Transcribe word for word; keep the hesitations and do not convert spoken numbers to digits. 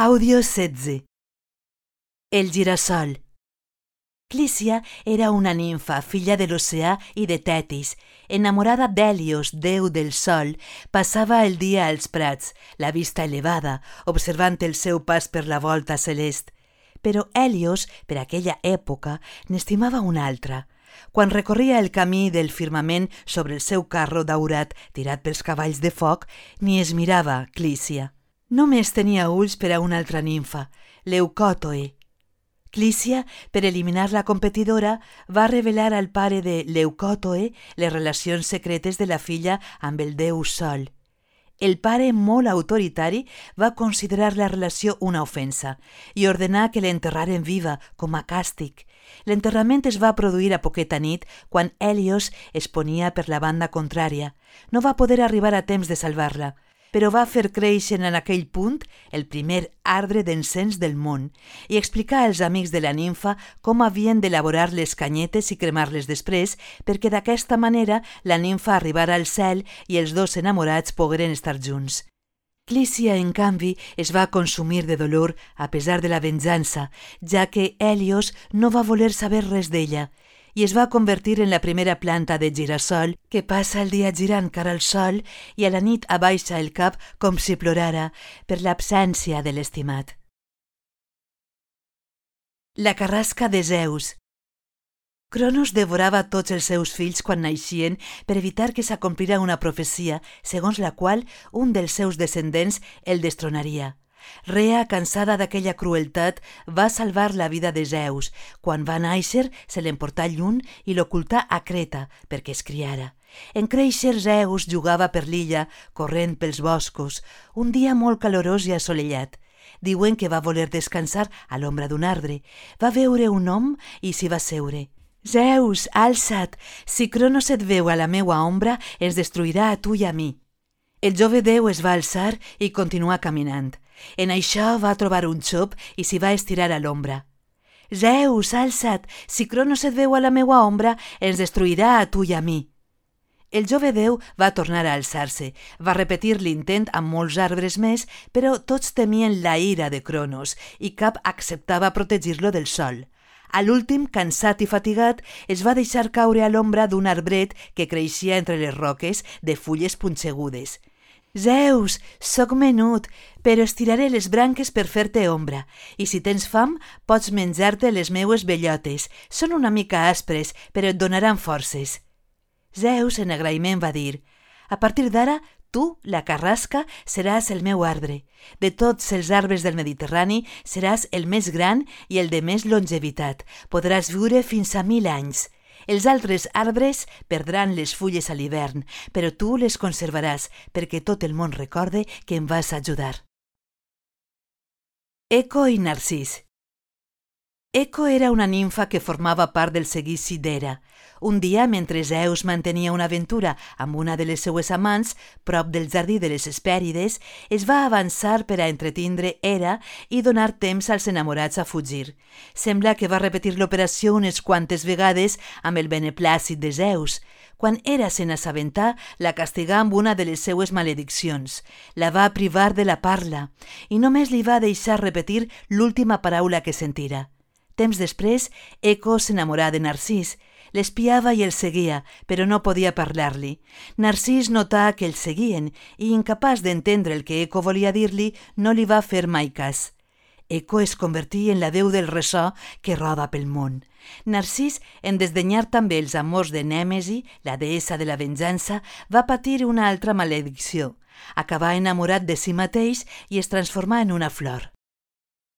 Àudio setze. El girassol. Clícia era una nimfa, filla de l'oceà i de Tetis. Enamorada d'Hèlios, déu del sol, passava el dia als prats, la vista elevada, observant el seu pas per la volta celest. Però Hèlios, per aquella època, n'estimava una altra. Quan recorria el camí del firmament sobre el seu carro daurat tirat pels cavalls de foc, ni es mirava Clícia. Només tenia ulls per a una altra nimfa, Leucòtoe. Clícia, per eliminar la competidora, va revelar al pare de Leucòtoe les relacions secretes de la filla amb el déu Sol. El pare, molt autoritari, va considerar la relació una ofensa i ordenar que l'enterraren viva, com a càstig. L'enterrament es va produir a poqueta nit, quan Hèlios es ponia per la banda contrària. No va poder arribar a temps de salvar-la, però va fer créixer en aquell punt el primer arbre d'encens del món i explicar als amics de la nimfa com havien d'elaborar les canyetes i cremar-les després, perquè d'aquesta manera la nimfa arribara al cel i els dos enamorats pogueren estar junts. Clícia, en canvi, es va consumir de dolor a pesar de la venjança, ja que Hèlios no va voler saber res d'ella, i es va convertir en la primera planta de girassol que passa el dia girant cara al sol i a la nit abaixa el cap com si plorara per l'absència de l'estimat. La carrasca de Zeus. Cronos devorava tots els seus fills quan naixien per evitar que s'acomplira una profecia segons la qual un dels seus descendents el destronaria. Rea, cansada d'aquella crueltat, va salvar la vida de Zeus. Quan va néixer, se l'emportà lluny i l'ocultà a Creta perquè es criara. En créixer, Zeus jugava per l'illa, corrent pels boscos, un dia molt calorós i assolellat. Diuen que va voler descansar a l'ombra d'un arbre. Va veure un hom i s'hi va seure. «Zeus, alça't! Si Cronos et veu a la meua ombra, ens destruirà a tu i a mi». El jove déu es va alçar i continuar caminant. En això va trobar un xop i s'hi va estirar a l'ombra. «Zeus, alça't! Si Cronos et veu a la meua ombra, ens destruirà a tu i a mi». El jove déu va tornar a alçar-se. Va repetir l'intent amb molts arbres més, però tots temien la ira de Cronos i cap acceptava protegir-lo del sol. A l'últim, cansat i fatigat, es va deixar caure a l'ombra d'un arbret que creixia entre les roques de fulles punxegudes. «Zeus, soc menut, però estiraré les branques per fer-te ombra, i si tens fam, pots menjar-te les meues bellotes. Són una mica aspres, però et donaran forces». Zeus, en agraïment, va dir: «A partir d'ara, tu, la carrasca, seràs el meu arbre. De tots els arbres del Mediterrani, seràs el més gran i el de més longevitat. Podràs viure fins a mil anys. Els altres arbres perdran les fulles a l'hivern, però tu les conservaràs perquè tot el món recorde que em vas ajudar». Eco i Narcís. Eco era una nimfa que formava part del seguici d'Hera. Un dia, mentre Zeus mantenia una aventura amb una de les seues amants, prop del jardí de les Hespèrides, es va avançar per a entretindre Hera i donar temps als enamorats a fugir. Sembla que va repetir l'operació unes quantes vegades amb el beneplàcit de Zeus. Quan Hera se n'assabentà, la castigà amb una de les seues malediccions. La va privar de la parla i només li va deixar repetir l'última paraula que sentira. Temps després, Eco s'enamorà de Narcís. L'espiava i el seguia, però no podia parlar-li. Narcís notà que el seguien i, incapaç d'entendre el que Eco volia dir-li, no li va fer mai cas. Eco es convertí en la deu del ressò que roda pel món. Narcís, en desdenyar també els amors de Nèmesi, la deessa de la venjança, va patir una altra maledicció. Acabà enamorat de si mateix i es transformà en una flor.